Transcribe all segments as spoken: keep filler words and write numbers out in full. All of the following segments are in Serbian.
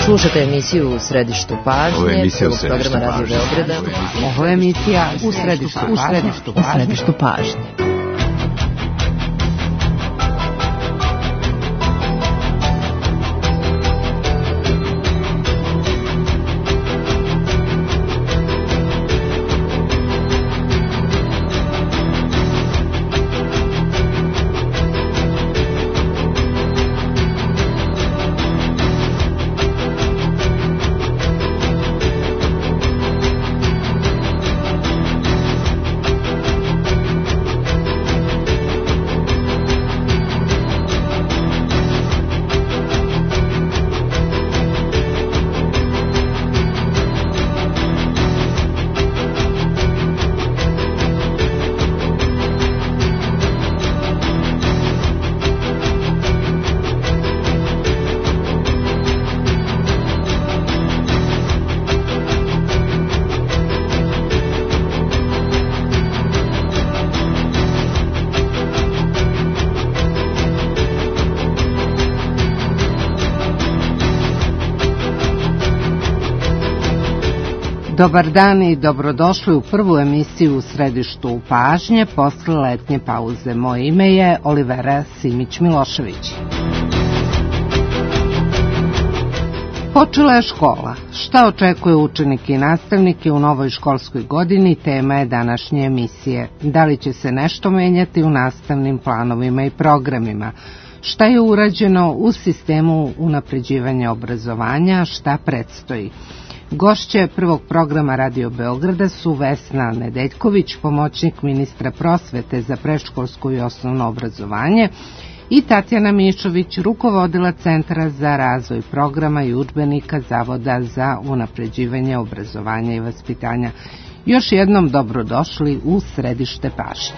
Slušate emisiju U središtu pažnje. Ovo je emisija U središtu pažnje. Ovo je emisija U središtu pažnje. U središtu pažnje. Dobar dan i dobrodošli u prvu emisiju U središtu pažnje posle letnje pauze. Moje ime je Olivera Simić-Milošević. Počela je škola. Šta očekuje učenike i nastavnike u novoj školskoj godini, tema je današnje emisije. Da li će se nešto menjati u nastavnim planovima i programima? Šta je urađeno u sistemu unapređivanja obrazovanja, šta predstoji? Gošće prvog programa Radio Beograda su Vesna Nedeljković, pomoćnik ministra prosvete za predškolsko i osnovno obrazovanje, i Tatjana Mišović, rukovodila Centra za razvoj programa i udžbenika Zavoda za unapređivanje obrazovanja i vaspitanja. Još jednom dobrodošli u središte pažnje.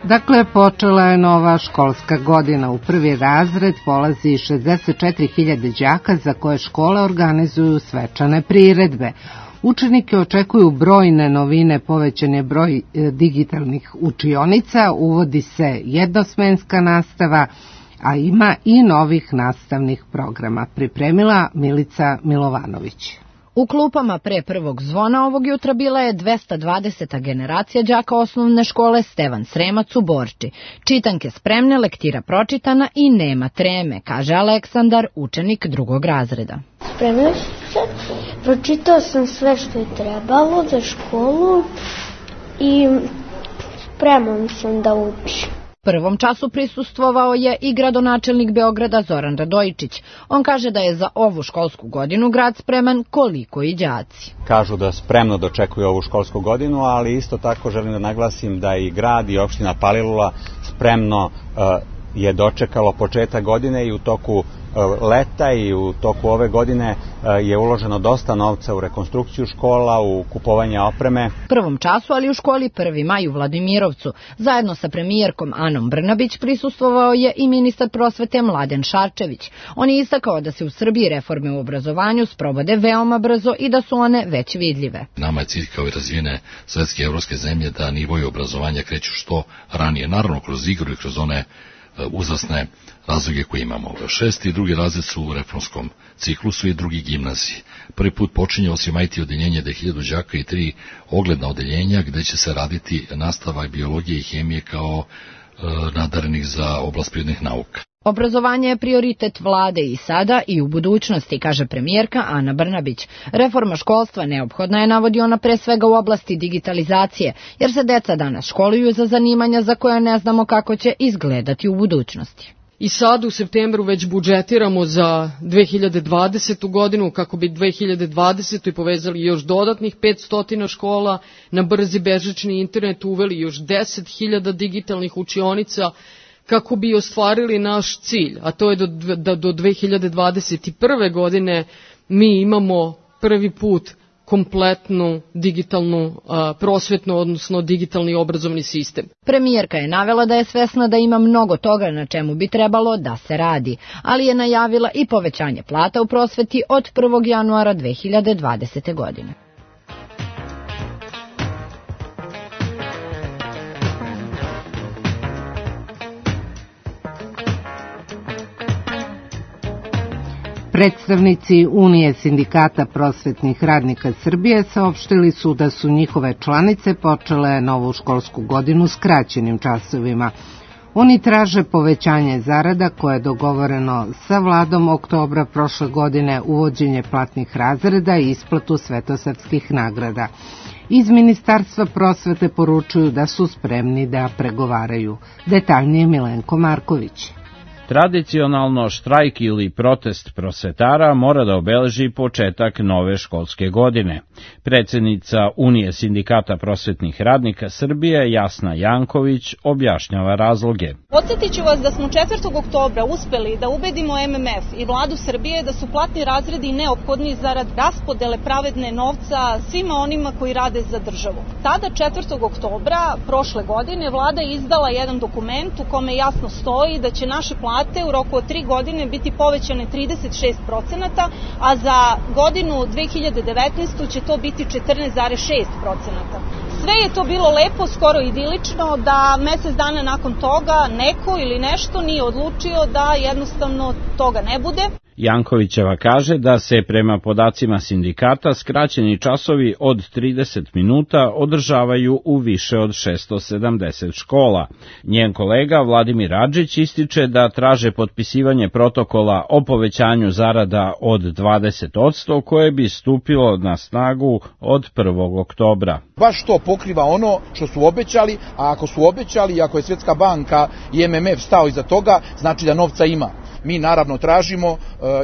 Dakle, počela je nova školska godina. U prvi razred polazi šezdeset četiri hiljade đaka za koje škole organizuju svečane priredbe. Učenike očekuju brojne novine, povećan je broj digitalnih učionica, uvodi se jednosmenska nastava, a ima i novih nastavnih programa. Pripremila Milica Milovanović. U klupama pre prvog zvona ovog jutra bila je dvesta dvadeseta generacija đaka osnovne škole Stevan Sremac u Borči. Čitanke spremne, lektira pročitana i nema treme, kaže Aleksandar, učenik drugog razreda. Spremio sam se, pročitao sam sve što je trebalo za školu i spreman sam da učim. Prvom času prisustvovao je i gradonačelnik Beograda Zoran Radojičić. On kaže da je za ovu školsku godinu grad spreman koliko i đaci. Kažu da spremno dočekuju ovu školsku godinu, ali isto tako želim da naglasim da i grad i opština Palilula spremno uh, je dočekalo početak godine i u toku leta i u toku ove godine je uloženo dosta novca u rekonstrukciju škola, u kupovanje opreme. Prvom času, ali u školi prvi maj u Vladimirovcu, zajedno sa premijerkom Anom Brnabić prisustvovao je i ministar prosvete Mladen Šarčević. On je istakao da se u Srbiji reforme u obrazovanju sprovode veoma brzo i da su one već vidljive. Nama je cilj kao i razvijene svetske i evropske zemlje da nivoji obrazovanja kreću što ranije, naravno kroz igru i kroz one uzrasne razloge koje imamo. Šesti i drugi razred su u reformskom ciklusu i drugi gimnaziji. Prvi put počinje osim I T odeljenje da hiljadu đaka i tri ogledna odeljenja gde će se raditi nastava biologije i hemije kao e, nadarenih za oblast prirodnih nauka. Obrazovanje je prioritet vlade i sada i u budućnosti, kaže premijerka Ana Brnabić. Reforma školstva neophodna je, navodi ona, pre svega u oblasti digitalizacije, jer se deca danas školuju za zanimanja za koje ne znamo kako će izgledati u budućnosti. I sad u septembru već budžetiramo za dve hiljade dvadesetu godinu kako bi dve hiljade dvadesetu povezali još dodatnih petsto škola, na brzi bežični internet uveli još deset hiljada digitalnih učionica, kako bi ostvarili naš cilj, a to je da do dve hiljade dvadeset prve godine mi imamo prvi put kompletnu digitalnu a, prosvetnu, odnosno digitalni obrazovni sistem. Premijerka je navela da je svesna da ima mnogo toga na čemu bi trebalo da se radi, ali je najavila i povećanje plata u prosveti od prvog januara dve hiljade dvadesete. godine. Predstavnici Unije sindikata prosvetnih radnika Srbije saopštili su da su njihove članice počele novu školsku godinu skraćenim časovima. Oni traže povećanje zarada koje je dogovoreno sa vladom oktobra prošle godine, uvođenje platnih razreda i isplatu svetosavskih nagrada. Iz Ministarstva prosvete poručuju da su spremni da pregovaraju. Detaljnije Milenko Marković. Tradicionalno štrajk ili protest prosvetara mora da obeleži početak nove školske godine. Predsednica Unije sindikata prosvetnih radnika Srbije, Jasna Janković, objašnjava razloge. Podsjetit ću vas da smo četvrtog oktobra uspeli da ubedimo M M F i vladu Srbije da su platni razredi neophodni zarad raspodele pravedne novca svima onima koji rade za državu. Tada četvrtog oktobra prošle godine vlada je izdala jedan dokument u kome jasno stoji da će naše plate u roku od tri godine biti povećane trideset šest procenata, a za godinu dve hiljade devetnaestu. će to biti četrnaest zarez šest procenata. Sve je to bilo lepo, skoro idilično, da mesec dana nakon toga neko ili nešto nije odlučio da jednostavno toga ne bude. Jankovićeva kaže da se prema podacima sindikata skraćeni časovi od trideset minuta održavaju u više od šessto sedamdeset škola. Njen kolega Vladimir Adžić ističe da traže potpisivanje protokola o povećanju zarada od dvadeset posto koje bi stupilo na snagu od prvog oktobra. Baš to pokriva ono što su obećali, a ako su obećali i ako je Svjetska banka i M M F stao iza toga, znači da novca ima. Mi naravno tražimo e,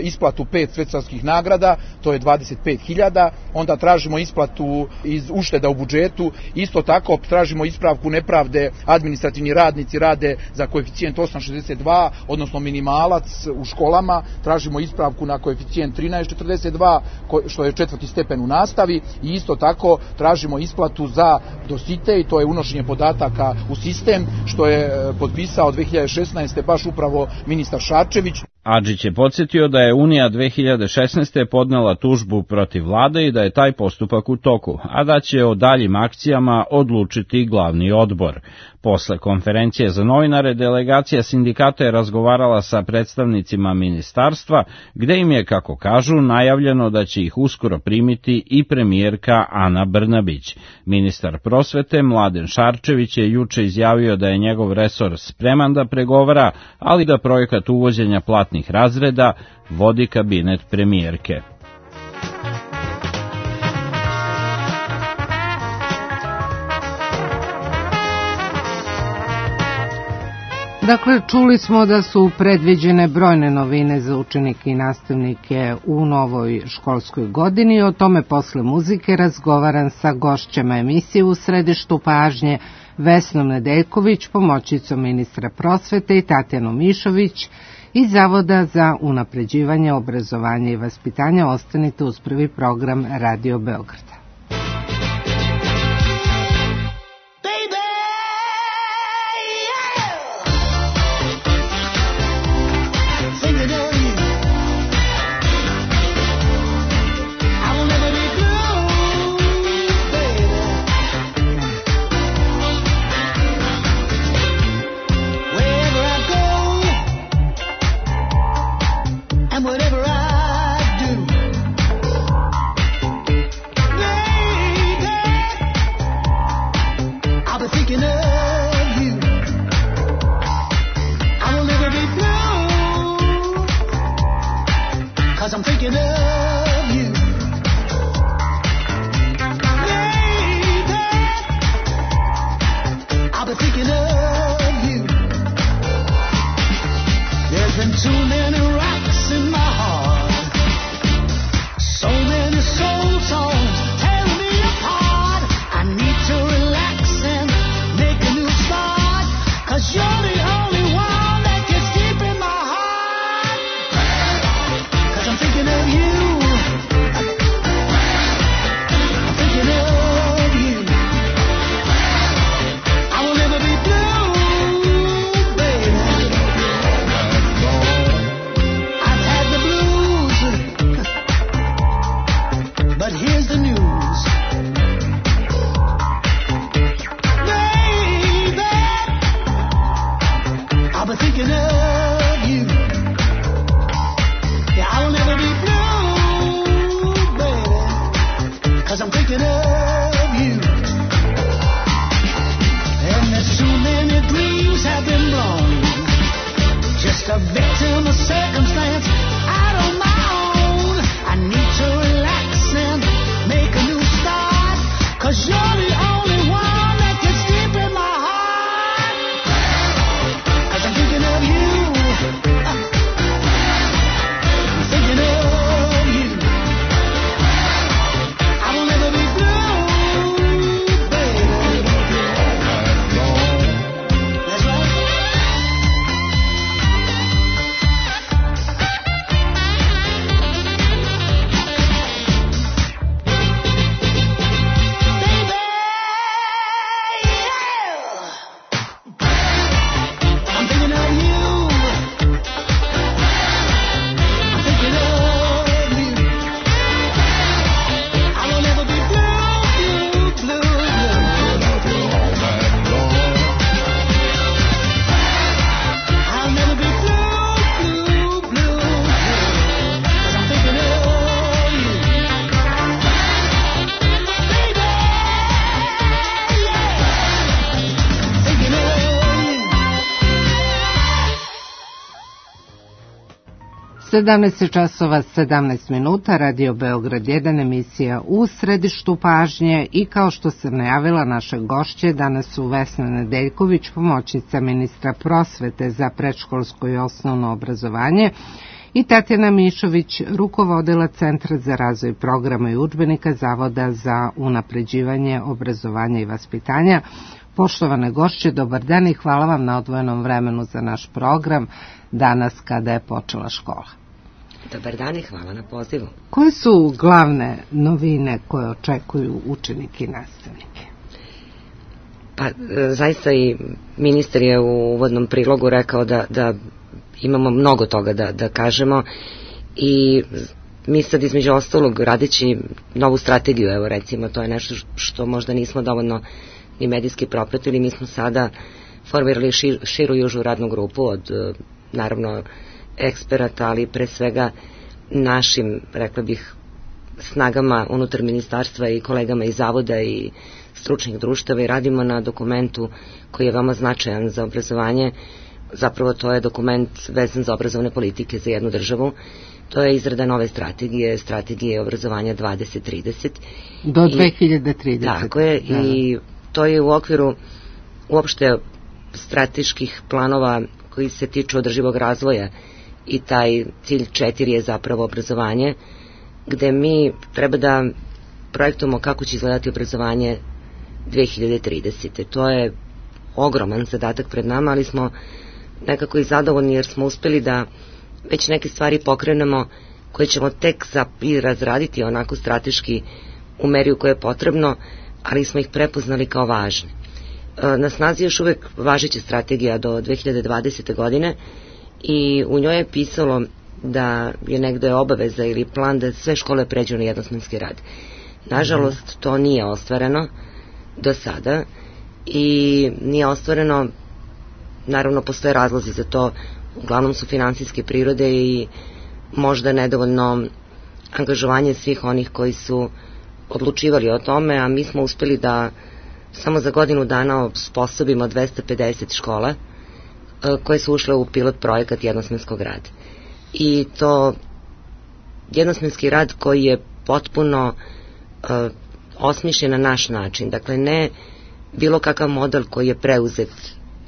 isplatu pet svetskih nagrada, to je dvadeset pet hiljada, onda tražimo isplatu iz ušteda u budžetu, isto tako tražimo ispravku nepravde, administrativni radnici rade za koeficijent osam zarez šezdeset dva, odnosno minimalac u školama, tražimo ispravku na koeficijent trinaest zarez četrdeset dva, što je četvrti stepen u nastavi, i isto tako tražimo isplatu za dosite, i to je unošenje podataka u sistem, što je potpisao dve hiljade šesnaeste. baš upravo ministar Šarčević. Adžić je podsjetio da je Unija dve hiljade šesnaeste. podnela tužbu protiv vlade i da je taj postupak u toku, a da će o daljim akcijama odlučiti glavni odbor. Posle konferencije za novinare, delegacija sindikata je razgovarala sa predstavnicima ministarstva, gde im je, kako kažu, najavljeno da će ih uskoro primiti i premijerka Ana Brnabić. Ministar prosvete Mladen Šarčević je juče izjavio da je njegov resor spreman da pregovara, ali da projekat uvođenja platnih razreda vodi kabinet premijerke. Dakle, čuli smo da su predviđene brojne novine za učenike i nastavnike u novoj školskoj godini. O tome posle muzike razgovaram sa gošćama emisije U središtu pažnje, Vesnom Nedeljković, pomoćnicom ministra prosvete, i Tatjanom Mišović iz Zavoda za unapređivanje obrazovanja i vaspitanja. Ostanite uz prvi program Radio Beograda. Whatever I do, yeah. sedamnaest časova sedamnaest minuta, Radio Beograd jedan, emisija U središtu pažnje i kao što sam najavila, naše gošće danas su Vesna Nedeljković, pomoćnica ministra prosvete za predškolsko i osnovno obrazovanje, i Tatjana Mišović, rukovodila Centra za razvoj programa i udžbenika Zavoda za unapređivanje obrazovanja i vaspitanja. Poštovane gošće, dobar dan i hvala vam na odvojenom vremenu za naš program danas kada je počela škola. Dobar dan i hvala na pozivu. Koje su glavne novine koje očekuju učenike i nastavnike? Pa, zaista i ministar je u uvodnom prilogu rekao da, da imamo mnogo toga da, da kažemo i mi sad između ostalog radeći novu strategiju, evo recimo, to je nešto što možda nismo dovoljno i medijski propratili, mi smo sada formirali šir, širu južnu radnu grupu od, naravno, eksperata, ali pre svega našim, rekla bih, snagama unutar ministarstva i kolegama iz zavoda i stručnih društava i radimo na dokumentu koji je veoma značajan za obrazovanje. Zapravo to je dokument vezan za obrazovne politike za jednu državu. To je izrada nove strategije, strategije obrazovanja dvadeset trideset. Do dve hiljade tridesete. Tako je, da. I to je u okviru uopšte strateških planova koji se tiču održivog razvoja i taj cilj četiri je zapravo obrazovanje, gde mi treba da projektujemo kako će izgledati obrazovanje dve hiljade tridesete. To je ogroman zadatak pred nama, ali smo nekako i zadovoljni jer smo uspeli da već neke stvari pokrenemo koje ćemo tek i razraditi onako strateški u meri u kojoj je potrebno, ali smo ih prepoznali kao važne. Na snazi još uvek važeća strategija do dve hiljade dvadesete. godine i u njoj je pisalo da je negde obaveza ili plan da sve škole pređu na jednosmenski rad. Nažalost, to nije ostvareno do sada i nije ostvareno, naravno postoje razlozi za to, uglavnom su finansijske prirode i možda nedovoljno angažovanje svih onih koji su odlučivali o tome, a mi smo uspeli da samo za godinu dana osposobimo dvesta pedeset škola koje su ušle u pilot projekat jednosmenskog rada. I to jednosmenski rad koji je potpuno uh, osmišljen na naš način. Dakle, ne bilo kakav model koji je preuzet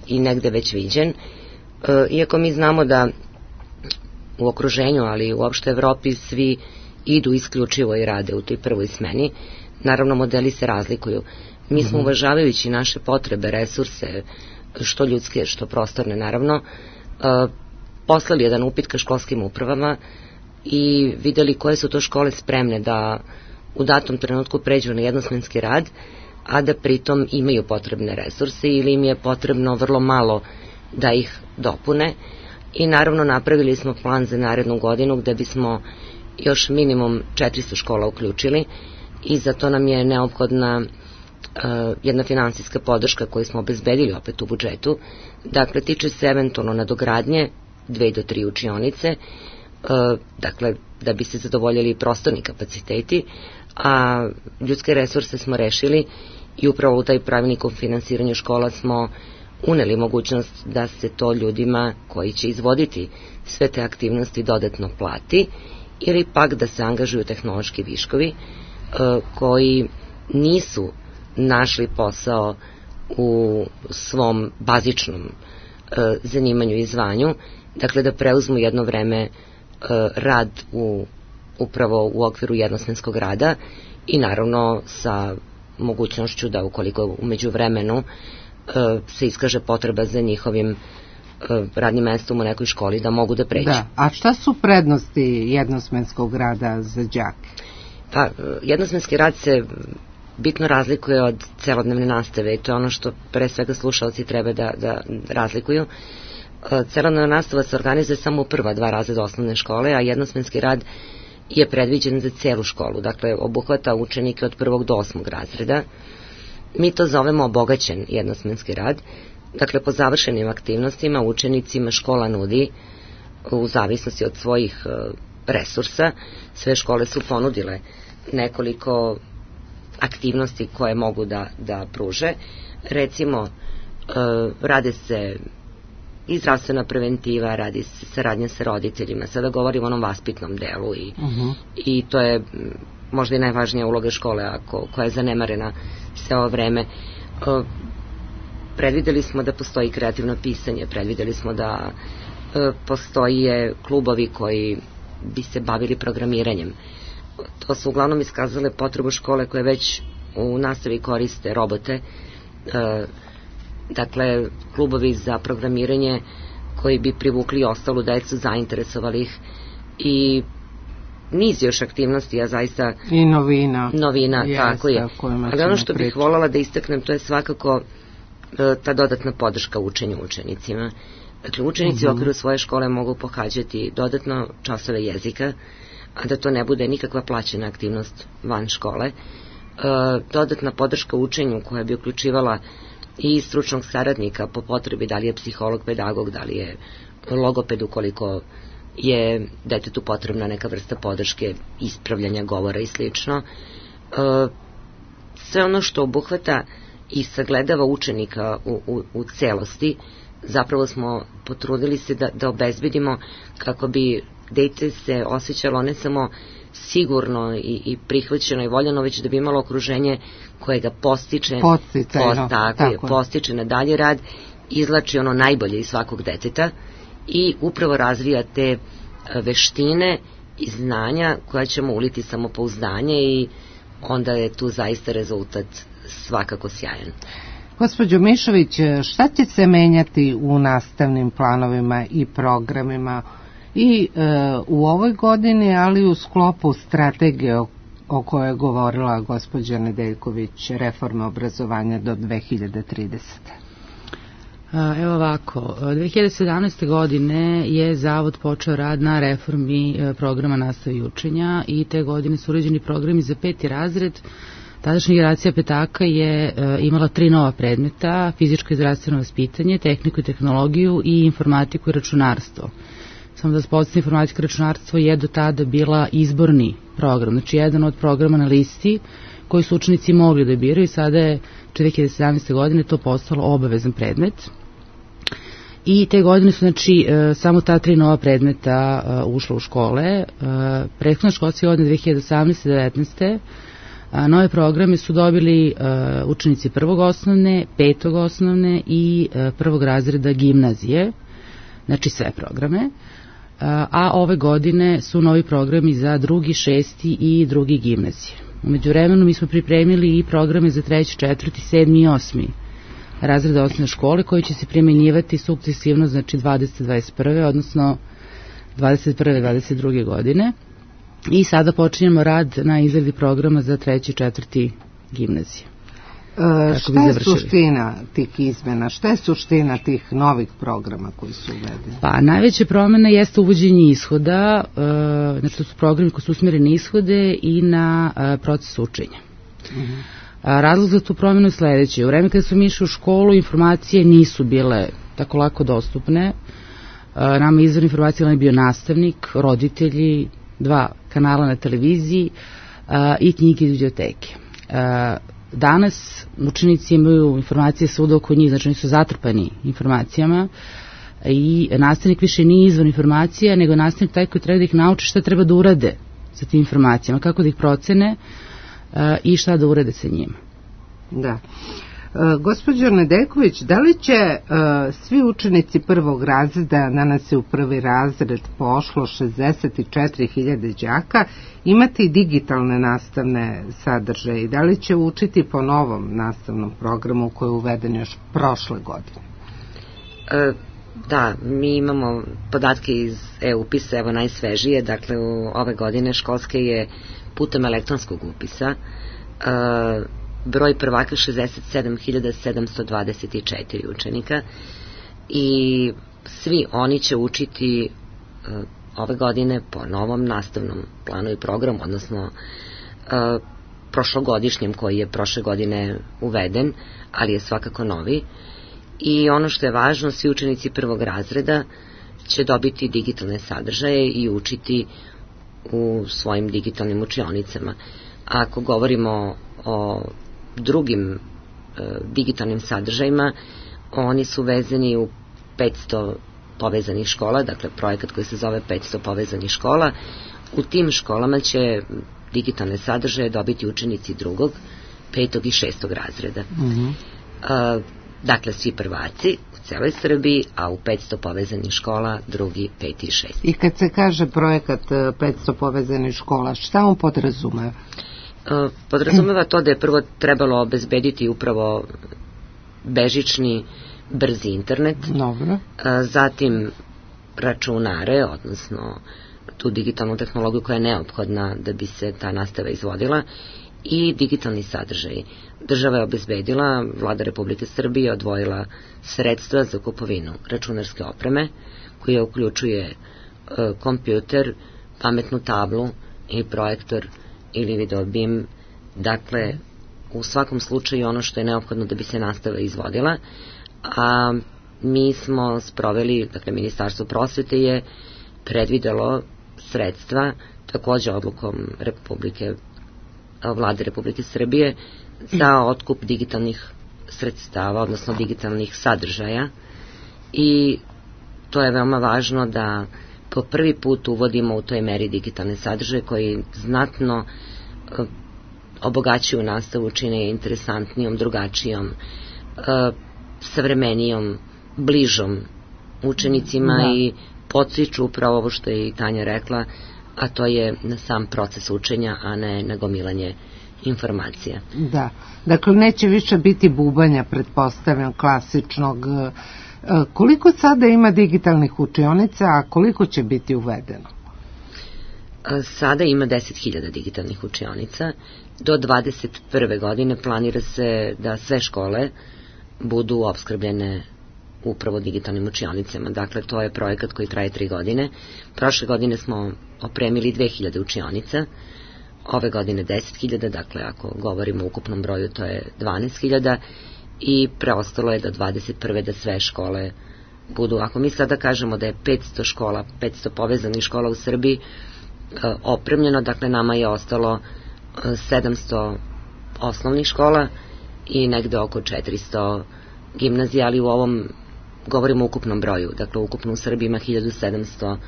i negde već viđen. Uh, iako mi znamo da u okruženju, ali i uopšte Evropi svi idu isključivo i rade u toj prvoj smeni, naravno modeli se razlikuju. Mi smo, uvažavajući naše potrebe, resurse, što ljudske, što prostorne, naravno, uh, poslali jedan upit ka školskim upravama i videli koje su to škole spremne da u datom trenutku pređu na jednosmenski rad, a da pritom imaju potrebne resurse ili im je potrebno vrlo malo da ih dopune. I naravno napravili smo plan za narednu godinu gde bismo još minimum četiristo škola uključili i za to nam je neophodna uh, jedna finansijska podrška koju smo obezbedili opet u budžetu. Dakle, tiče se eventualno nadogradnje dve do tri učionice, uh, dakle, da bi se zadovoljili prostorni kapaciteti, a ljudske resurse smo rešili i upravo u taj pravilnik o finansiranju škola smo uneli mogućnost da se to ljudima koji će izvoditi sve te aktivnosti dodatno plati ili pak da se angažuju tehnološki viškovi uh, koji nisu našli posao u svom bazičnom uh, zanimanju i zvanju, dakle da preuzmu jedno vreme uh, rad u, upravo u okviru jednosmenskog rada i naravno sa mogućnošću da ukoliko umeđu vremenu uh, se iskaže potreba za njihovim uh, radnim mestom u nekoj školi da mogu da pređu. Da, a šta su prednosti jednosmenskog rada za đake? Pa, jednosmenski rad se bitno razlikuje od celodnevne nastave i to je ono što pre svega slušalci treba da, da razlikuju. Celodnevna nastava se organizuje samo u prva dva razreda osnovne škole, a jednosmenski rad je predviđen za celu školu, dakle obuhvata učenike od prvog do osmog razreda. Mi to zovemo obogaćen jednosmenski rad, dakle po završenim aktivnostima učenicima škola nudi u zavisnosti od svojih resursa. Sve škole su ponudile nekoliko aktivnosti koje mogu da, da pruže. Recimo, rade se i zdravstvena preventiva, radi se saradnja sa roditeljima. Sada govorimo o onom vaspitnom delu i, uh-huh. i to je možda i najvažnija uloga škole ako, koja je zanemarena sve ovo vreme. Uh, predvideli smo da postoji kreativno pisanje, predvideli smo da uh, postoje klubovi koji bi se bavili programiranjem. To su uglavnom iskazale potrebu škole koje već u nastavi koriste robote, uh, dakle klubovi za programiranje koji bi privukli ostalu decu, zainteresovali ih i niz još aktivnosti, ja zaista... I novina. Novina, jeste, tako je. Ali ono što bih voljela da istaknem, to je svakako e, ta dodatna podrška učenju učenicima. Dakle, učenici uh-huh. u okviru svoje škole mogu pohađati dodatno časove jezika, a da to ne bude nikakva plaćena aktivnost van škole. E, dodatna podrška učenju koja bi uključivala i stručnog saradnika po potrebi, da li je psiholog, pedagog, da li je logoped ukoliko je detetu potrebna neka vrsta podrške, ispravljanja govora i slično. E, sve ono što obuhvata i sagledava učenika u, u, u celosti, zapravo smo potrudili se da, da obezbedimo kako bi dete se osjećalo ne samo sigurno i, i prihvaćeno i voljeno, već da bi imalo okruženje koje ga postiče, Posticajno, post, tako, tako je, postiče na dalji rad, izlači ono najbolje iz svakog deteta i upravo razvija te veštine i znanja koja ćemo uliti samopouzdanje i onda je tu zaista rezultat svakako sjajan. Gospođo Mišović, šta će se menjati u nastavnim planovima i programima i e, u ovoj godini, ali u sklopu strategije o, o kojoj je govorila gospođa Nedeljković, reforme obrazovanja do dve hiljade tridesete. Evo ovako, dve hiljade sedamnaeste. godine je Zavod počeo rad na reformi programa nastave i učenja i te godine su uređeni programi za peti razred. Tadašnja generacija petaka je imala tri nova predmeta, fizičko i zdravstveno vaspitanje, tehniku i tehnologiju i informatiku i računarstvo. Samo da se podsjetim, informatika i računarstvo je do tada bila izborni program, znači jedan od programa na listi koji su učenici mogli da biraju i sada je dve hiljade sedamnaeste. godine to postalo obavezan predmet. I te godine su, znači, samo ta tri nova predmeta ušla u škole. Prethodna školske godine dve hiljade osamnaeste. devetnaeste. Nove programe su dobili učenici prvog osnovne, petog osnovne i prvog razreda gimnazije, znači sve programe. A ove godine su novi programi za drugi, šesti i drugi gimnazije. U međuvremenu mi smo pripremili i programe za treći, četvrti, sedmi i osmi razreda osnovne škole koji će se primjenjivati sukcesivno, znači dvadesete dvadeset prve. odnosno dvadeset prve dvadeset druge. godine. I sada počinjemo rad na izradi programa za treći, četvrti gimnazije. E, šta je suština tih izmena? Šta je suština tih novih programa koji su uvedeni? Pa najveća promjena jeste uvođenje ishoda, e, znači to su programi koji su usmjereni ishode i na e, proces učenja. Uh-huh. A, razlog za tu promjenu je sledeći. U vreme kada smo išli u školu, informacije nisu bile tako lako dostupne. E, nama izvor informacije je bio nastavnik, roditelji, dva kanala na televiziji a, i knjige iz biblioteke. A, danas učenici imaju informacije svuda oko njih, znači oni su zatrpani informacijama i nastavnik više nije izvor informacija, nego nastavnik taj koji treba da ih nauči šta treba da urade sa tim informacijama, kako da ih procene a, i šta da urade sa njima. Da. E, gospođo Nedeljković, da li će e, svi učenici prvog razreda, danas je u prvi razred pošlo šezdeset četiri hiljade đaka, imati digitalne nastavne sadržaje i da li će učiti po novom nastavnom programu koji je uveden još prošle godine? E, da, mi imamo podatke iz e-upisa, evo najsvežije, dakle u ove godine školske je putem elektronskog upisa e, broj prvaka šezdeset sedam hiljada sedamsto dvadeset četiri učenika i svi oni će učiti uh, ove godine po novom nastavnom planu i programu, odnosno uh, prošlogodišnjem koji je prošle godine uveden, ali je svakako novi. I ono što je važno, svi učenici prvog razreda će dobiti digitalne sadržaje i učiti u svojim digitalnim učionicama. Ako govorimo o drugim e, digitalnim sadržajima, oni su vezani u petsto povezanih škola, dakle projekat koji se zove petsto povezanih škola. U tim školama će digitalne sadržaje dobiti učenici drugog, petog i šestog razreda. Mm-hmm. Uh, dakle, svi prvaci u celoj Srbiji, a u petsto povezanih škola drugi, peti i šesti. I kad se kaže projekat petsto povezanih škola, šta on podrazumeva? Uh, podrazumeva to da je prvo trebalo obezbediti upravo bežični, brzi internet. Dobro. Uh, zatim računare, odnosno tu digitalnu tehnologiju koja je neophodna da bi se ta nastava izvodila, i digitalni sadržaj. Država je obezbedila, Vlada Republike Srbije odvojila sredstva za kupovinu računarske opreme, koja uključuje e, kompjuter, pametnu tablu i projektor ili video bim. Dakle, u svakom slučaju ono što je neophodno da bi se nastava izvodila, a mi smo sproveli, dakle, Ministarstvo prosvete je predvidelo sredstva, takođe odlukom Republike Vlade Republike Srbije, za otkup digitalnih sredstava, odnosno digitalnih sadržaja, i to je veoma važno da po prvi put uvodimo u toj meri digitalne sadržaje koji znatno uh, obogaćuju nastavu, čine je interesantnijom, drugačijom, uh, savremenijom, bližom učenicima, da. I podstiču upravo ovo što je i Tanja rekla, a to je na sam proces učenja, a ne na gomilanje informacija. Da, dakle neće više biti bubanja, pretpostavljam, klasičnog. Koliko sada ima digitalnih učionica, a koliko će biti uvedeno? Sada ima deset hiljada digitalnih učionica. Do dvadeset prve godine planira se da sve škole budu opskrbljene upravo digitalnim učionicama. Dakle, to je projekat koji traje tri godine. Prošle godine smo opremili dve hiljade učionica, ove godine deset hiljada, dakle, ako govorimo o ukupnom broju, to je dvanaest hiljada, i preostalo je do dvadeset prve da sve škole budu. Ako mi sada kažemo da je petsto škola, petsto povezanih škola u Srbiji e, opremljeno, dakle, nama je ostalo e, sedamsto osnovnih škola i negde oko četiristo gimnazija, ali u ovom govorimo o ukupnom broju. Dakle, ukupno u Srbiji ima hiljadu sedamsto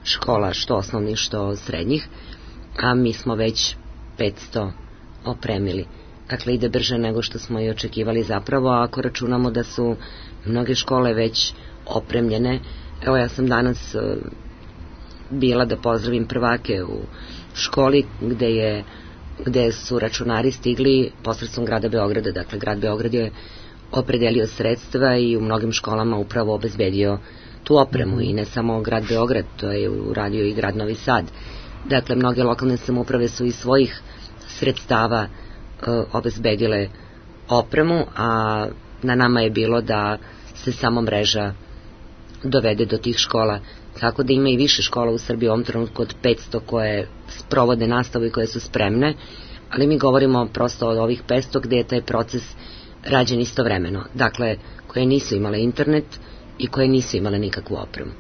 škola, što osnovnih, što srednjih, a mi smo već petsto opremili. Dakle, ide brže nego što smo i očekivali zapravo, a ako računamo da su mnoge škole već opremljene. Evo, ja sam danas uh, bila da pozdravim prvake u školi gde je gde su računari stigli posredstvom grada Beograda. Dakle, grad Beograd je opredelio sredstva i u mnogim školama upravo obezbedio tu opremu, i ne samo grad Beograd, to je uradio i grad Novi Sad. Dakle, mnoge lokalne samouprave su iz svojih sredstava uh, obezbedile opremu, a na nama je bilo da se samo mreža dovede do tih škola. Tako da ima i više škola u Srbiji u ovom trenutku od petsto koje sprovode nastavu i koje su spremne, ali mi govorimo prosto od ovih petsto gde je taj proces rađen istovremeno. Dakle, koje nisu imale internet i koje nisu imale nikakvu opremu.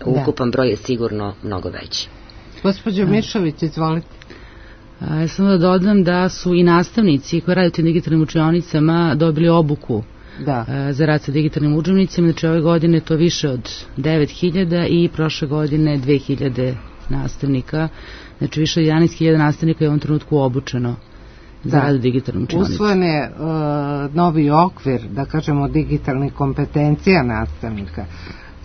Ukupan broj je sigurno mnogo veći. Gospođo Mišović, izvolite. Ja samo da dodam da su i nastavnici koji rade u tim digitalnim učionicama dobili obuku da. za rad sa digitalnim udžbenicima. Znači, ove godine to više od devet hiljada i prošle godine dve hiljade nastavnika. Znači, više od jedanaest hiljada nastavnika je u ovom trenutku obučeno za da. rad u digitalnim učionicama. Usvojen je uh, novi okvir, da kažemo, digitalnih kompetencija nastavnika.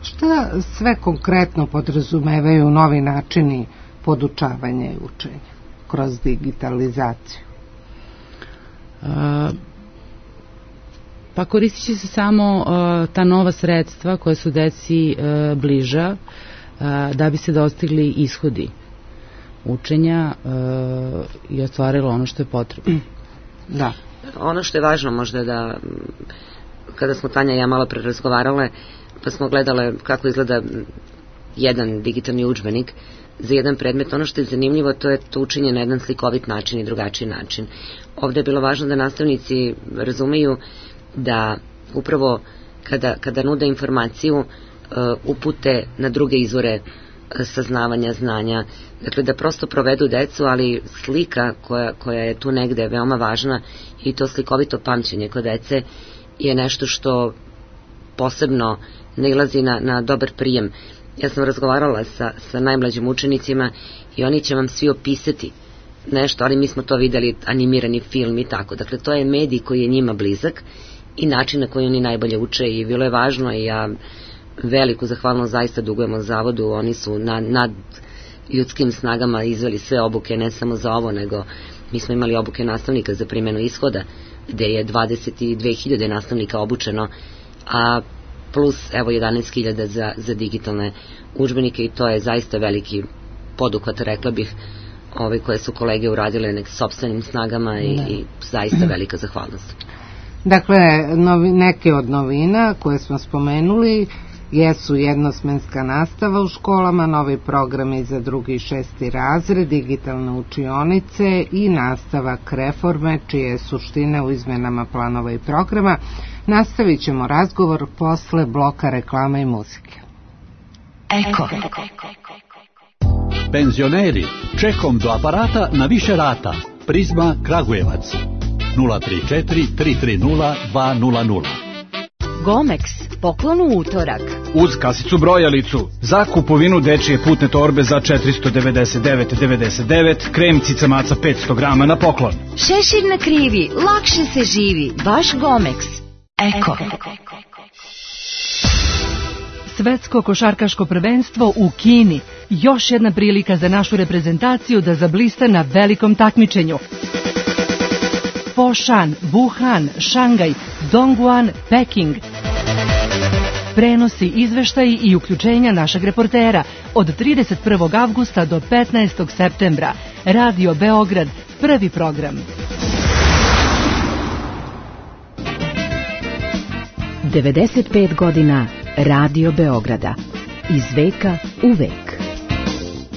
Šta sve konkretno podrazumevaju novi načini podučavanja i učenja kroz digitalizaciju? Uh, pa koristit će se samo uh, ta nova sredstva koja su deci uh, bliža uh, da bi se dostigli ishodi učenja uh, i ostvarilo ono što je potrebno. Da. Ono što je važno možda da, kada smo Tanja i ja malo pre razgovarale, pa smo gledale kako izgleda jedan digitalni udžbenik za jedan predmet, ono što je zanimljivo, to je to učenje na jedan slikovit način i drugačiji način. Ovde je bilo važno da nastavnici razumeju da upravo kada, kada nude informaciju uh, upute na druge izvore uh, saznavanja, znanja, dakle da prosto provedu decu, ali slika koja, koja je tu negde veoma važna, i to slikovito pamćenje kod dece je nešto što posebno nailazi na, na dobar prijem. Ja sam razgovarala sa, sa najmlađim učenicima i oni će vam svi opisati nešto, ali mi smo to videli, animirani film i tako. Dakle, to je medij koji je njima blizak i način na koji oni najbolje uče i bilo je važno i ja veliku zahvalnost zaista dugujemo zavodu, oni su nad, nad ljudskim snagama izveli sve obuke, ne samo za ovo, nego mi smo imali obuke nastavnika za primjenu ishoda, gde je dvadeset dve hiljade nastavnika obučeno, a plus evo jedanaest hiljada za, za digitalne udžbenike i to je zaista veliki poduhvat, rekla bih, ovaj, koje su kolege uradile nek sopstvenim snagama i, i zaista velika zahvalnost. Dakle, novi, neke od novina koje smo spomenuli jesu jednosmenska nastava u školama, novi programi za drugi i šesti razred, digitalne učionice i nastavak reforme, čije je suština u izmenama planova i programa. Nastavit ćemo razgovor posle bloka reklama i muzike. Eko. Penzioneri, čekom do aparata na više rata. Prizma Kragujevac. nula tri četiri tri tri nula dva nula nula. Gomex, poklon u utorak. Uz kasicu brojalicu, za kupovinu dečije putne torbe za četiristo devedeset devet devedeset devet, krem cica maca petsto grama na poklon. Šešir na krivi, lakše se živi, baš Gomex. Eko. Svetsko košarkaško prvenstvo u Kini. Još jedna prilika za našu reprezentaciju da zablista na velikom takmičenju. Foshan, Wuhan, Šangaj, Dongguan, Peking. Prenosi, izveštaji i uključenja našeg reportera od trideset prvog avgusta do petnaestog septembra. Radio Beograd, prvi program. devedeset pet godina Radio Beograda. Iz veka u vek.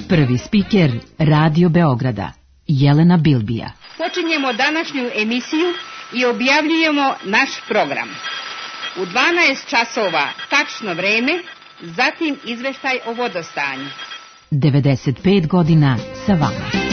Prvi spiker Radio Beograda, Jelena Bilbija. Počinjemo današnju emisiju i objavljujemo naš program. U dvanaest časova tačno vreme, zatim izveštaj o vodostanju. devedeset pet godina sa vama.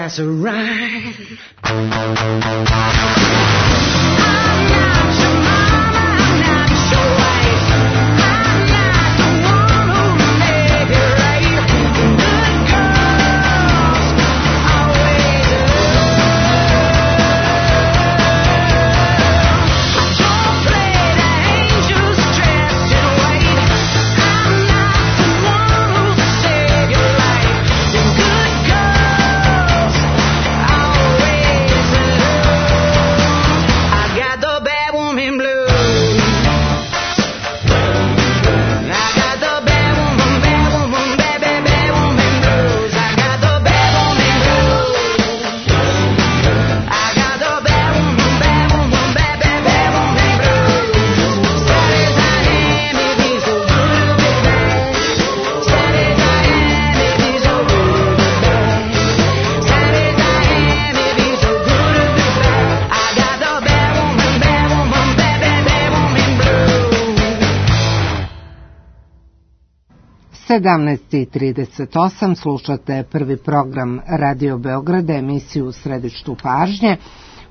That's right. sedamnaest i trideset osam slušate prvi program Radio Beograda, emisiju u središtu pažnje.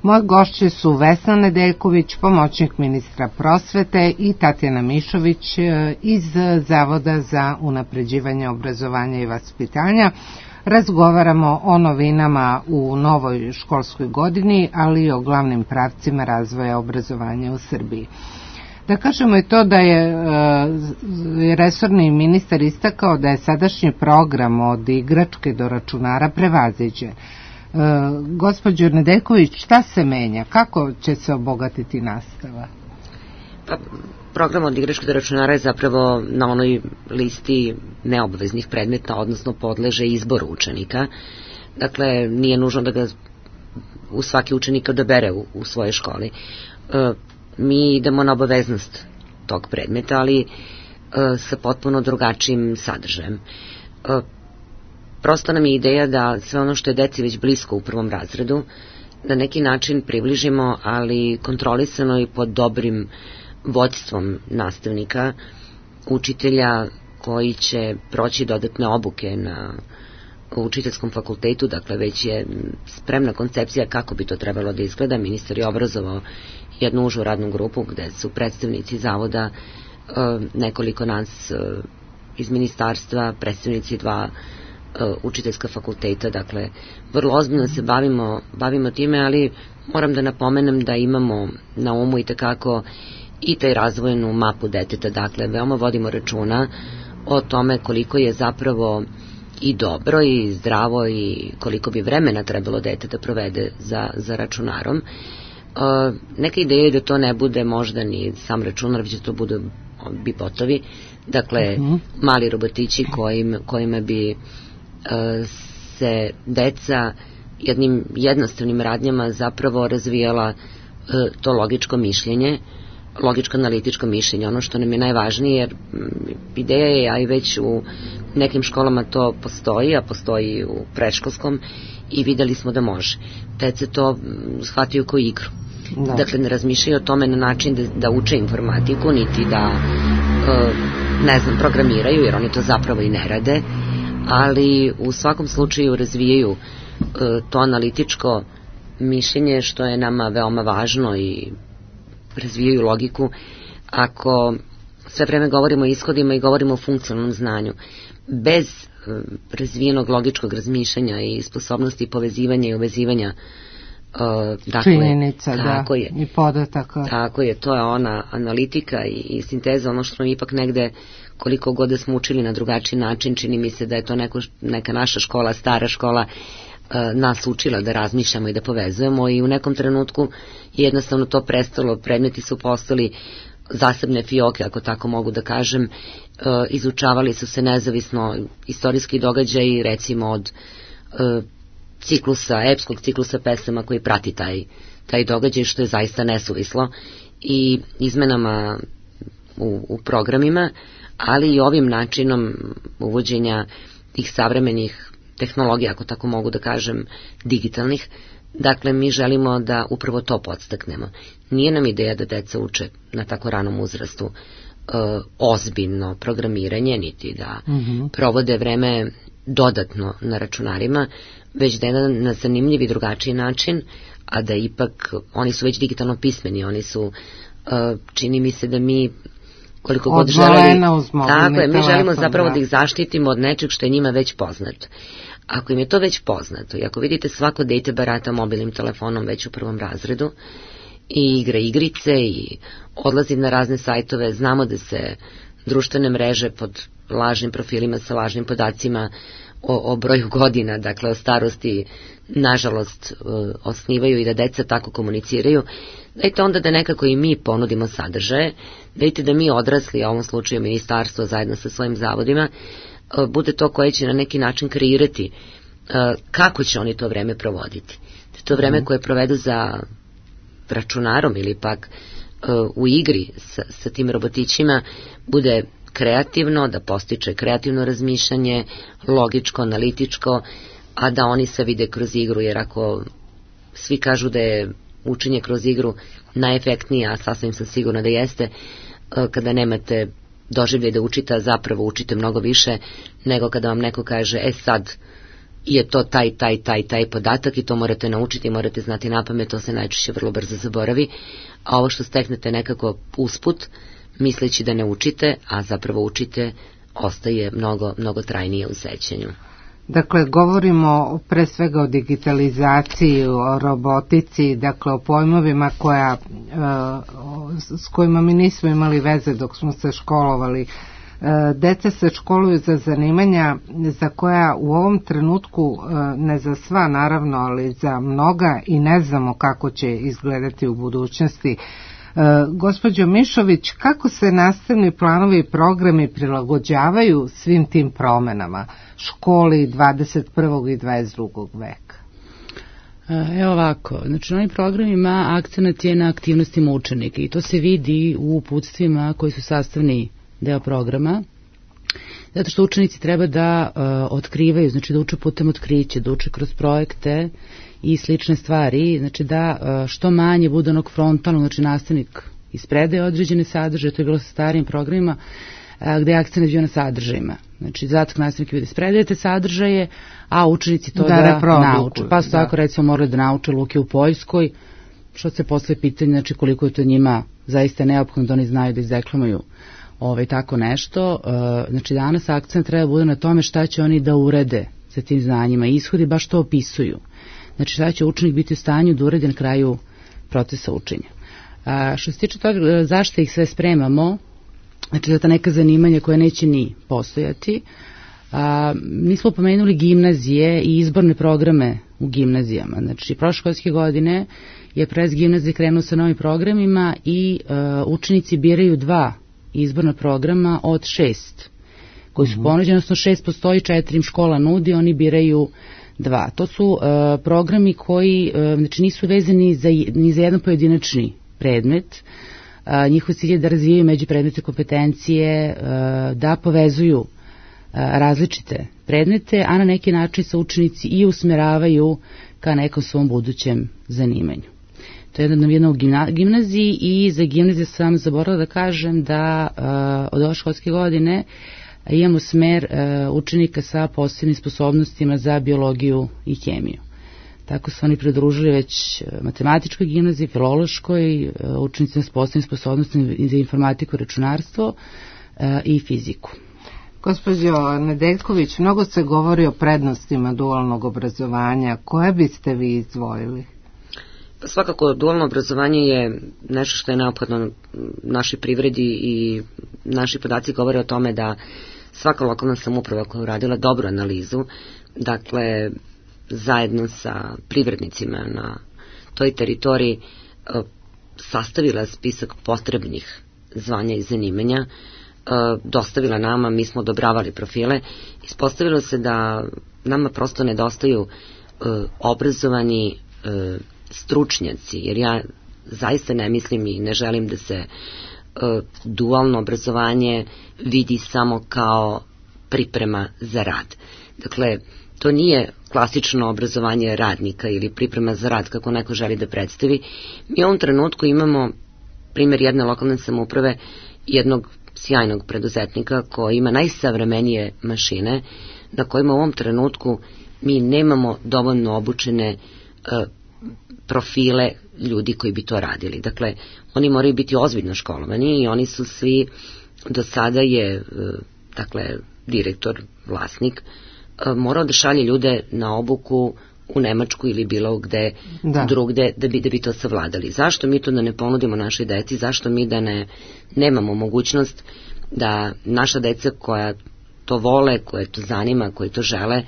Moje gošće su Vesna Nedeljković, pomoćnik ministra prosvete, i Tatjana Mišović iz Zavoda za unapređivanje obrazovanja i vaspitanja. Razgovaramo o novinama u novoj školskoj godini, ali i o glavnim pravcima razvoja obrazovanja u Srbiji. Da kažemo je to da je e, resorni ministar istakao da je sadašnji program od igračke do računara prevaziđen. E, gospođo Nedeljković, šta se menja? Kako će se obogatiti nastava? Pa, program od igračke do računara je zapravo na onoj listi neobaveznih predmeta, odnosno podleže izboru učenika. Dakle, nije nužno da ga u svaki učenik odabere u, u svojoj školi. E, mi idemo na obaveznost tog predmeta, ali e, sa potpuno drugačijim sadržajem. E, prosto nam je ideja da sve ono što je deci već blisko u prvom razredu, na neki način približimo, ali kontrolisano i pod dobrim vođstvom nastavnika, učitelja koji će proći dodatne obuke na učiteljskom fakultetu, dakle već je spremna koncepcija kako bi to trebalo da izgleda. Ministar je obrazovao jednu užu radnu grupu gde su predstavnici zavoda, nekoliko nas iz ministarstva, predstavnici dva učiteljska fakulteta, dakle vrlo ozbiljno se bavimo, bavimo time, ali moram da napomenem da imamo na umu i tekako i taj razvojnu mapu deteta, dakle veoma vodimo računa o tome koliko je zapravo i dobro i zdravo i koliko bi vremena trebalo dete da provede za, za računarom. E, neka ideja je da to ne bude možda ni sam računar, već da to budu bibotovi, dakle uh-huh. mali robotići kojim, kojima bi e, se deca jednim jednostavnim radnjama zapravo razvijala e, to logičko mišljenje, logičko-analitičko mišljenje, ono što nam je najvažnije, jer ideja je, a i već u nekim školama to postoji, a postoji u predškolskom, i videli smo da može. Deca to shvataju kao igru. Da. Dakle, ne razmišljaju o tome na način da, da uče informatiku, niti da e, ne znam, programiraju, jer oni to zapravo i ne rade, ali u svakom slučaju razvijaju e, to analitičko mišljenje, što je nama veoma važno, i razvijaju logiku. Ako sve vreme govorimo o ishodima i govorimo o funkcionalnom znanju, bez uh, razvijenog logičkog razmišljanja i sposobnosti povezivanja i uvezivanja uh, dakle, činjenica, tako da, je, i podataka. Tako je, to je ona analitika i, i sinteza, ono što nam ipak negde, koliko god da smo učili na drugačiji način, čini mi se da je to neko, neka naša škola, stara škola, nas učila da razmišljamo i da povezujemo, i u nekom trenutku jednostavno to prestalo, predmeti su postali zasebne fioke, ako tako mogu da kažem, izučavali su se nezavisno istorijski događaji, recimo od ciklusa, epskog ciklusa pesama koji prati taj, taj događaj, što je zaista nesuvislo, i izmenama u, u programima, ali i ovim načinom uvođenja tih savremenih tehnologija, ako tako mogu da kažem, digitalnih. Dakle, mi želimo da upravo to podstaknemo. Nije nam ideja da deca uče na tako ranom uzrastu e, ozbiljno programiranje, niti da mm-hmm. provode vreme dodatno na računarima, već da je na, na zanimljiv i drugačiji način, a da ipak oni su već digitalno pismeni, oni su, e, čini mi se da mi koliko god želeli, tako je, mi želimo zapravo da ih zaštitimo od nečeg što je njima već poznato. Ako im je to već poznato, i ako vidite svako dete barata mobilnim telefonom već u prvom razredu i igra igrice i odlazi na razne sajtove, znamo da se društvene mreže pod lažnim profilima sa lažnim podacima o, o broju godina, dakle o starosti, nažalost osnivaju i da deca tako komuniciraju. Dajte onda da nekako i mi ponudimo sadržaje, dajte da mi odrasli, a u ovom slučaju ministarstvo zajedno sa svojim zavodima, bude to koje će na neki način kreirati kako će oni to vreme provoditi. To vreme koje provedu za računarom ili pak u igri sa, sa tim robotićima bude kreativno, da postiče kreativno razmišljanje, logičko, analitičko, a da oni se vide kroz igru, jer ako svi kažu da je učenje kroz igru najefektnije, a sasvim sam sigurna da jeste, kada nemate doživljaj da učite, a zapravo učite mnogo više nego kada vam neko kaže, e sad je to taj, taj, taj, taj podatak i to morate naučiti, morate znati napamet, to se najčešće vrlo brzo zaboravi, a ovo što steknete nekako usput, misleći da ne učite, a zapravo učite, ostaje mnogo, mnogo trajnije u sećanju. Dakle, govorimo pre svega o digitalizaciji, o robotici, dakle o pojmovima koja, s kojima mi nismo imali veze dok smo se školovali. Deca se školuju za zanimanja za koja u ovom trenutku, ne za sva naravno, ali za mnoga i ne znamo kako će izgledati u budućnosti. Gospođo Mišović, kako se nastavni planovi i programi prilagođavaju svim tim promenama školi dvadeset prvog i dvadeset drugog veka? Evo ovako, znači na ovim programima akcenat je na aktivnostima učenika i to se vidi u uputstvima koji su sastavni deo programa, zato što učenici treba da uh, otkrivaju, znači da uče putem otkrića, da uče kroz projekte i slične stvari, znači da uh, što manje bude onog frontalnog, znači nastavnik ispredaje određene sadržaje, to je bilo sa starijim programima, uh, gde je akcent bio na sadržajima. Znači, zadatak nastavnika je da ispredajete sadržaje, a učenici to da, da nauče. Pa su da. tako recimo morali da nauče luke u Poljskoj, što se posle pitanje, znači koliko je to njima zaista neophodno da oni znaju da izdeklamuju Ove, tako nešto. Znači danas akcent treba bude na tome šta će oni da urede sa tim znanjima. Ishodi baš to opisuju. Znači šta će učenik biti u stanju da uredi na kraju procesa učenja. A, što se tiče toga zašto ih sve spremamo, znači za ta neka zanimanja koja neće ni postojati, a, mi smo pomenuli gimnazije i izborne programe u gimnazijama. Znači prošle školske godine je Pres gimnazije krenuo sa novim programima i a, učenici biraju dva izborna programa od šest koji su ponuđeni, odnosno šest postoji, četiri im škola nudi, oni biraju dva. To su uh, programi koji uh, znači nisu vezani za, ni za jedan pojedinačni predmet. Uh, njihov cilj je da razvijaju međupredmetne kompetencije, uh, da povezuju uh, različite predmete, a na neki način se učenici i usmeravaju ka nekom svom budućem zanimanju. To je jedna u gimnaziji i za gimnaziju sam zaboravila da kažem da uh, od ove školske godine imamo smer uh, učenika sa posebnim sposobnostima za biologiju i hemiju. Tako su oni pridružili već matematičkoj gimnaziji, filološkoj, uh, učenicima s posebnim sposobnostima za informatiku, računarstvo uh, i fiziku. Gospođo Nedeljković, mnogo se govori o prednostima dualnog obrazovanja. Koje biste vi izdvojili? Svakako, dualno obrazovanje je nešto što je neophodno našoj privredi i naši podaci govore o tome da svaka lokalna samouprava koja je uradila dobru analizu, dakle, zajedno sa privrednicima na toj teritoriji sastavila spisak potrebnih zvanja i zanimanja, dostavila nama, mi smo odobravali profile, ispostavilo se da nama prosto nedostaju obrazovani stručnjaci, jer ja zaista ne mislim i ne želim da se uh, dualno obrazovanje vidi samo kao priprema za rad. Dakle, to nije klasično obrazovanje radnika ili priprema za rad kako neko želi da predstavi. Mi u ovom trenutku imamo primjer jedne lokalne samouprave, jednog sjajnog preduzetnika koji ima najsavremenije mašine na kojima u ovom trenutku mi nemamo dovoljno obučene uh, profile ljudi koji bi to radili. Dakle, oni moraju biti ozbiljno školovani i oni su svi, do sada je, dakle, direktor, vlasnik, morao da šalje ljude na obuku u Nemačku ili bilo gde da. drugde da bi, da bi to savladali. Zašto mi to da ne ponudimo našoj deci, zašto mi da ne nemamo mogućnost da naša deca koja to vole, koje to zanima, koje to žele,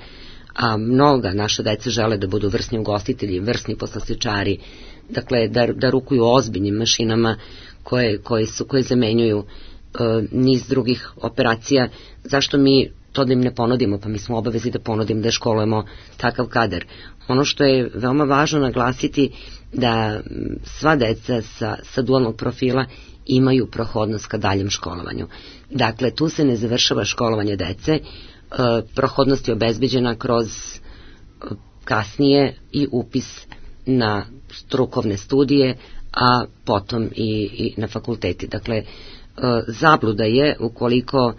a mnoga naša deca žele da budu vrsni ugostitelji, vrsni poslastičari, dakle da, da rukuju ozbiljnim mašinama koje, koje, su, koje zamenjuju e, niz drugih operacija. Zašto mi to da im ne ponudimo? Pa mi smo obavezi da ponudimo, da školujemo takav kadar. Ono što je veoma važno naglasiti da sva deca sa, sa dualnog profila imaju prohodnost ka daljem školovanju. Dakle, tu se ne završava školovanje dece, prohodnost je obezbeđena kroz kasnije i upis na strukovne studije, a potom i, i na fakulteti. Dakle, zabluda je ukoliko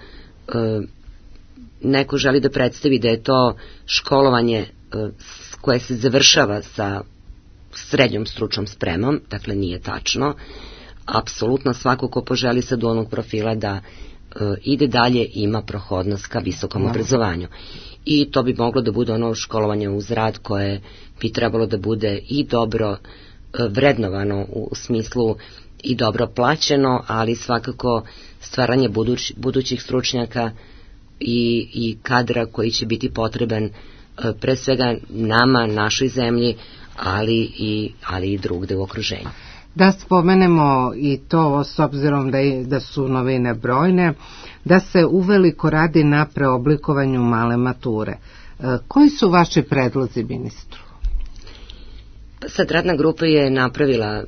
neko želi da predstavi da je to školovanje koje se završava sa srednjom stručnom spremom, dakle nije tačno. Apsolutno svako ko poželi sa dualnog profila da ide dalje ima prohodnost ka visokom obrazovanju. I to bi moglo da bude ono školovanje uz rad koje bi trebalo da bude i dobro vrednovano u smislu i dobro plaćeno, ali svakako stvaranje buduć, budućih stručnjaka i, i kadra koji će biti potreban pre svega nama, našoj zemlji, ali i, ali i drugde u okruženju. Da spomenemo i to s obzirom da, je, da su novine brojne, da se uveliko radi na preoblikovanju male mature. Koji su vaši predlozi, ministru? Sad radna grupa je napravila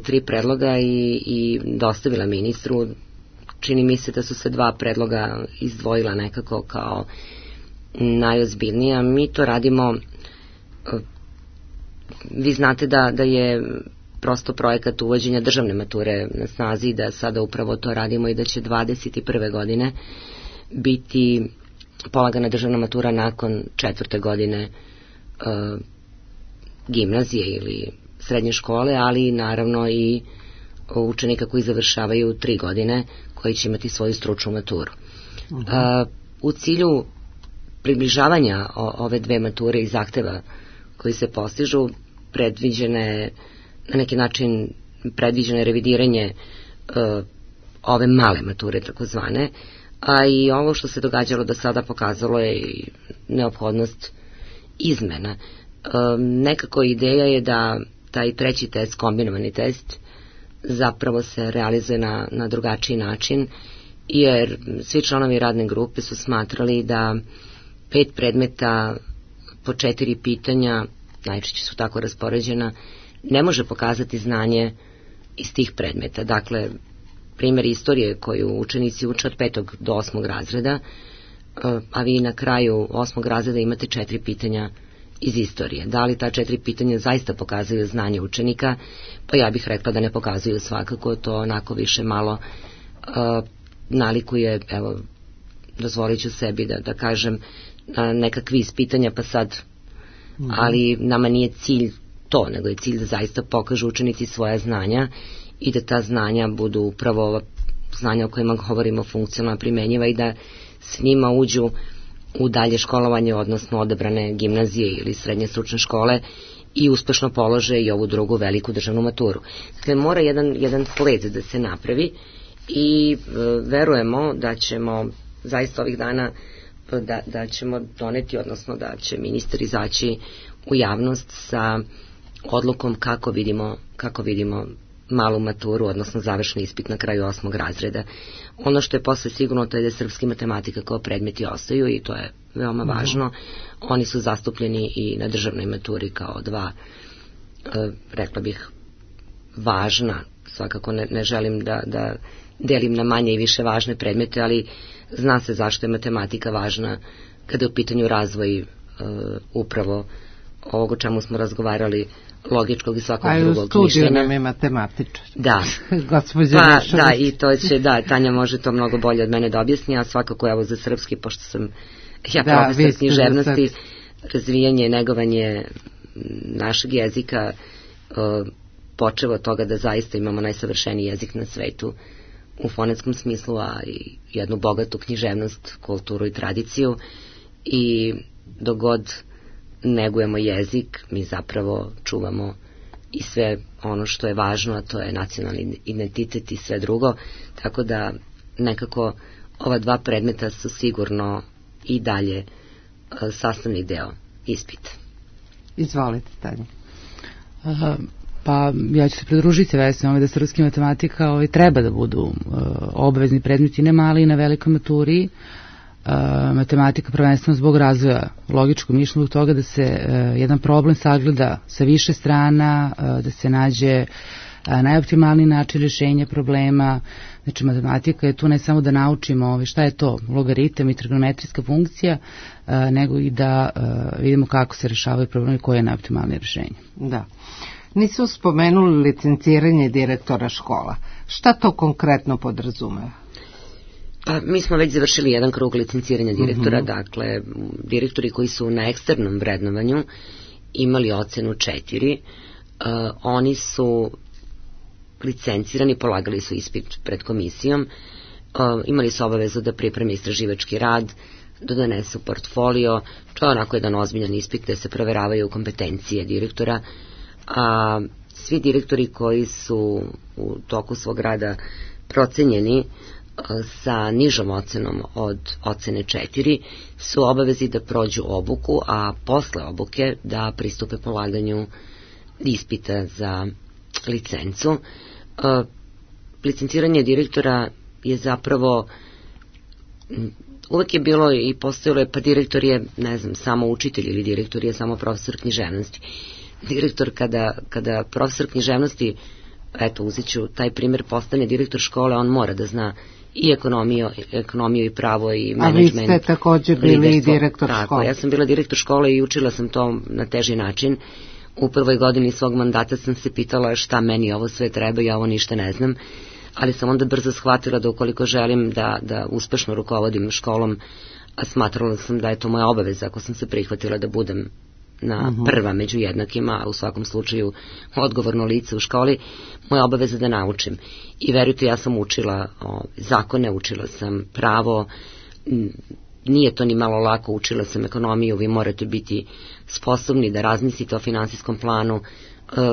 tri predloga i, i dostavila ministru. Čini mi se da su se dva predloga izdvojila nekako kao najozbiljnija. Mi to radimo, vi znate da, da je prosto projekat uvođenja državne mature na snazi, da sada upravo to radimo i da će dvadeset prve godine biti polagana državna matura nakon četvrte godine e, gimnazije ili srednje škole, ali naravno i učenika koji završavaju tri godine koji će imati svoju stručnu maturu. Uh -huh. e, u cilju približavanja o, ove dve mature i zahteva koji se postižu, predviđene na neki način predviđeno je revidiranje uh, ove male mature takozvane, a i ovo što se događalo do sada pokazalo je i neophodnost izmena. Uh, nekako ideja je da taj treći test, kombinovani test, zapravo se realizuje na, na drugačiji način, jer svi članovi radne grupe su smatrali da pet predmeta po četiri pitanja, najčešće su tako raspoređena, ne može pokazati znanje iz tih predmeta. Dakle, primjer istorije koju učenici uče od petog do osmog razreda, a vi na kraju osmog razreda imate četiri pitanja iz istorije. Da li ta četiri pitanja zaista pokazuju znanje učenika? Pa ja bih rekla da ne pokazuju svakako, to onako više malo uh, nalikuje, evo, dozvolit ću sebi da, da kažem, na neka kviz pitanja, pa sad, mm-hmm. ali nama nije cilj to, nego je cilj da zaista pokažu učenici svoja znanja i da ta znanja budu upravo ova znanja o kojima govorimo funkcionalno primenjiva i da s njima uđu u dalje školovanje, odnosno odabrane gimnazije ili srednje stručne škole i uspešno polože i ovu drugu veliku državnu maturu. Dakle, mora jedan, jedan sled da se napravi i e, verujemo da ćemo zaista ovih dana da, da ćemo doneti, odnosno da će ministar izaći u javnost sa odlukom kako vidimo, kako vidimo malu maturu, odnosno završni ispit na kraju osmog razreda. Ono što je posle sigurno to je da srpski matematika kao predmeti ostaju i to je veoma važno. Oni su zastupljeni i na državnoj maturi kao dva, e, rekla bih, važna, svakako ne, ne želim da, da delim na manje i više važne predmete, ali zna se zašto je matematika važna kada je u pitanju razvoj e, upravo ovog o čemu smo razgovarali, logičkog i svakog a drugog mišljenja. A u studiju nam je matematičar. Da. Pa, da, i to će, da, Tanja može to mnogo bolje od mene da objasni, a svakako evo za srpski, pošto sam ja da, profesor književnosti, razvijanje i negovanje našeg jezika, uh, počevo od toga da zaista imamo najsavršeniji jezik na svetu u fonetskom smislu, a i jednu bogatu književnost, kulturu i tradiciju, i dogod negujemo jezik, mi zapravo čuvamo i sve ono što je važno, a to je nacionalni identitet i sve drugo, tako da nekako ova dva predmeta su sigurno i dalje sastavni deo ispita. Izvolite, Tanja. Aha, pa ja ću se pridružiti Vesni ove da srpski matematika ovaj, treba da budu uh, obavezni predmeti, ne mali, na velikoj maturi. Uh, matematika prvenstveno zbog razvoja logičkog mišljenja, zbog toga da se uh, jedan problem sagleda sa više strana, uh, da se nađe uh, najoptimalniji način rješenja problema. Znači, matematika je tu ne samo da naučimo ovaj, šta je to logaritam i trigonometrijska funkcija, uh, nego i da uh, vidimo kako se rešavaju problemi, koje je najoptimalnije rješenje. Da. Nisu spomenuli licenciranje direktora škola. Šta to konkretno podrazumeva? Pa, mi smo već završili jedan krug licenciranja direktora, mm-hmm. dakle, direktori koji su na eksternom vrednovanju imali ocenu četiri, uh, oni su licencirani, polagali su ispit pred komisijom, uh, imali su obavezu da pripreme istraživački rad, da donesu portfolio, to je onako jedan ozbiljan ispit gde se proveravaju kompetencije direktora, a svi direktori koji su u toku svog rada procenjeni sa nižom ocenom od ocene četiri su obavezi da prođu obuku, a posle obuke da pristupe polaganju ispita za licencu. E, licenciranje direktora je zapravo uvek je bilo i postojalo je, pa direktor je, ne znam, samo učitelj ili direktor je samo profesor književnosti. Direktor kada, kada profesor književnosti, eto uzet ću taj primjer, postane direktor škole, on mora da zna i ekonomiju, ekonomiju i pravo i menadžment. A vi ste također bili i direktor tako, škole. Ja sam bila direktor škole i učila sam to na teži način. U prvoj godini svog mandata sam se pitala šta meni ovo sve treba, ja ovo ništa ne znam, ali sam onda brzo shvatila da ukoliko želim da, da uspešno rukovodim školom, a smatrala sam da je to moja obaveza ako sam se prihvatila da budem na prva među jednakima, a u svakom slučaju odgovorno lice u školi, moja obaveza da naučim. I verujte, ja sam učila o, zakone, učila sam pravo, nije to ni malo lako, učila sam ekonomiju, vi morate biti sposobni da razmislite o finansijskom planu, e,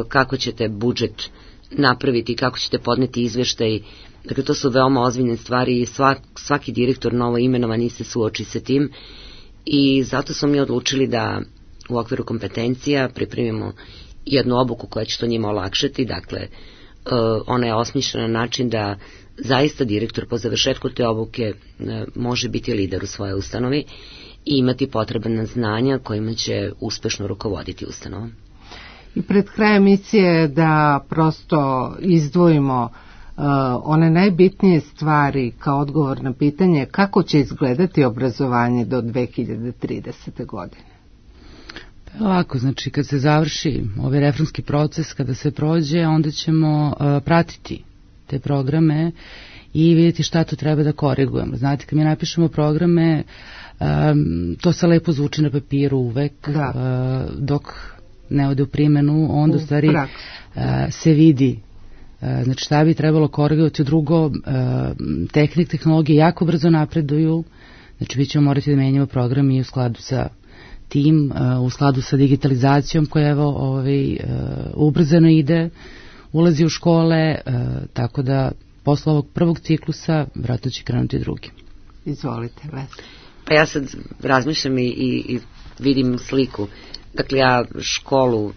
kako ćete budžet napraviti, kako ćete podneti izveštaj. Dakle, to su veoma ozbiljne stvari i svak, svaki direktor novo imenovani se suoči sa tim i zato smo mi odlučili da u okviru kompetencija pripremimo jednu obuku koja će to njima olakšati, dakle, uh, ona je osmišljena na način da zaista direktor po završetku te obuke uh, može biti lider u svojoj ustanovi i imati potrebna znanja kojima će uspešno rukovoditi ustanovom. I pred krajem emisije da prosto izdvojimo uh, one najbitnije stvari kao odgovor na pitanje kako će izgledati obrazovanje do dve hiljade tridesete. godine. Ovako, znači kad se završi ovaj reformski proces, kada se prođe, onda ćemo uh, pratiti te programe i vidjeti šta to treba da korigujemo. Znate, kad mi napišemo programe, um, to se lepo zvuči na papiru uvek, uh, dok ne ode u primenu, onda u stvari uh, se vidi uh, znači šta bi trebalo korigovati. Drugo, uh, tehnik, tehnologije jako brzo napreduju, znači mi ćemo morati da menjamo program i u skladu sa tim, u skladu sa digitalizacijom koja evo ovaj, ubrzano ide, ulazi u škole, tako da posle ovog prvog ciklusa vratno će krenuti drugi. Izvolite, Vesna. Pa ja sad razmišljam i, i, i vidim sliku. Dakle, ja školu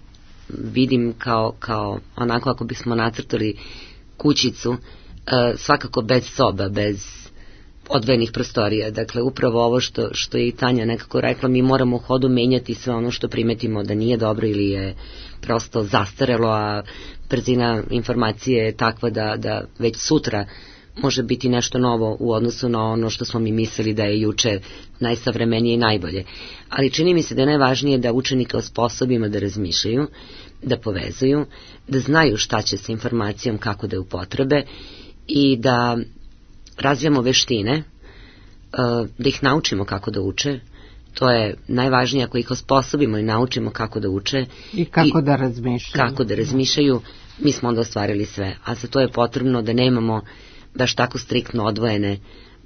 vidim kao, kao onako ako bismo nacrtali kućicu, svakako bez soba, bez odvojenih prostorija. Dakle, upravo ovo što, što je i Tanja nekako rekla, mi moramo u hodu menjati sve ono što primetimo da nije dobro ili je prosto zastarelo, a brzina informacije je takva da, da već sutra može biti nešto novo u odnosu na ono što smo mi mislili da je juče najsavremenije i najbolje. Ali čini mi se da je najvažnije da učenike osposobimo da razmišljaju, da povezuju, da znaju šta će sa informacijom, kako da je upotrebe i da razvijamo veštine, da ih naučimo kako da uče. To je najvažnije, ako ih osposobimo i naučimo kako da uče i kako i da razmišljaju. Kako da razmišljaju, mi smo onda ostvarili sve. A za to je potrebno da nemamo baš tako striktno odvojene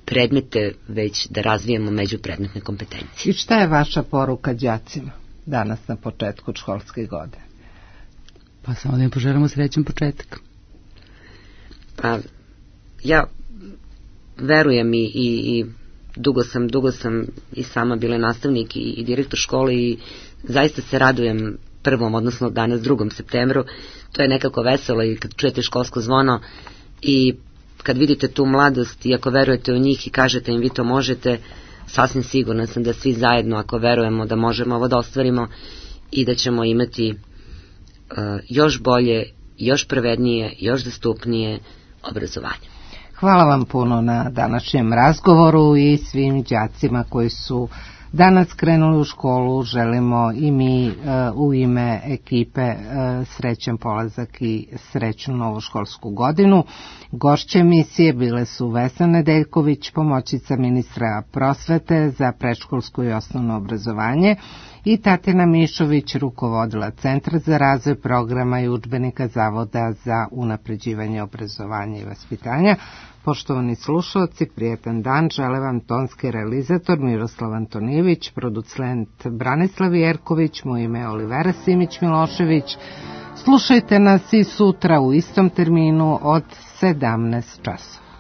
predmete, već da razvijemo međupredmetne kompetencije. I šta je vaša poruka đacima danas na početku školske godine? Pa samo da im poželimo srećan početak. Pa ja verujem i, i, i dugo sam, dugo sam i sama bila nastavnik i, i direktor škole i zaista se radujem prvom, odnosno danas drugom septembru. To je nekako veselo i kad čujete školsko zvono i kad vidite tu mladost i ako verujete u njih i kažete im vi to možete, sasvim sigurna sam da svi zajedno ako verujemo da možemo ovo da ostvarimo i da ćemo imati uh, još bolje, još pravednije, još dostupnije obrazovanje. Hvala vam puno na današnjem razgovoru i svim đacima koji su danas krenuli u školu. Želimo i mi uh, u ime ekipe uh, srećan polazak i srećnu novu školsku godinu. Gošće emisije bile su Vesna Nedeljković, pomoćnica ministra prosvete za predškolsko i osnovno obrazovanje, i Tatjana Mišović, rukovodila Centra za razvoj programa i udžbenika Zavoda za unapređivanje obrazovanja i vaspitanja. Poštovani slušalci, prijetan dan, žele vam tonski realizator Miroslav Antonijević, producent Branislav Jerković, moje ime je Olivera Simić-Milošević. Slušajte nas i sutra u istom terminu od sedamnaest časova.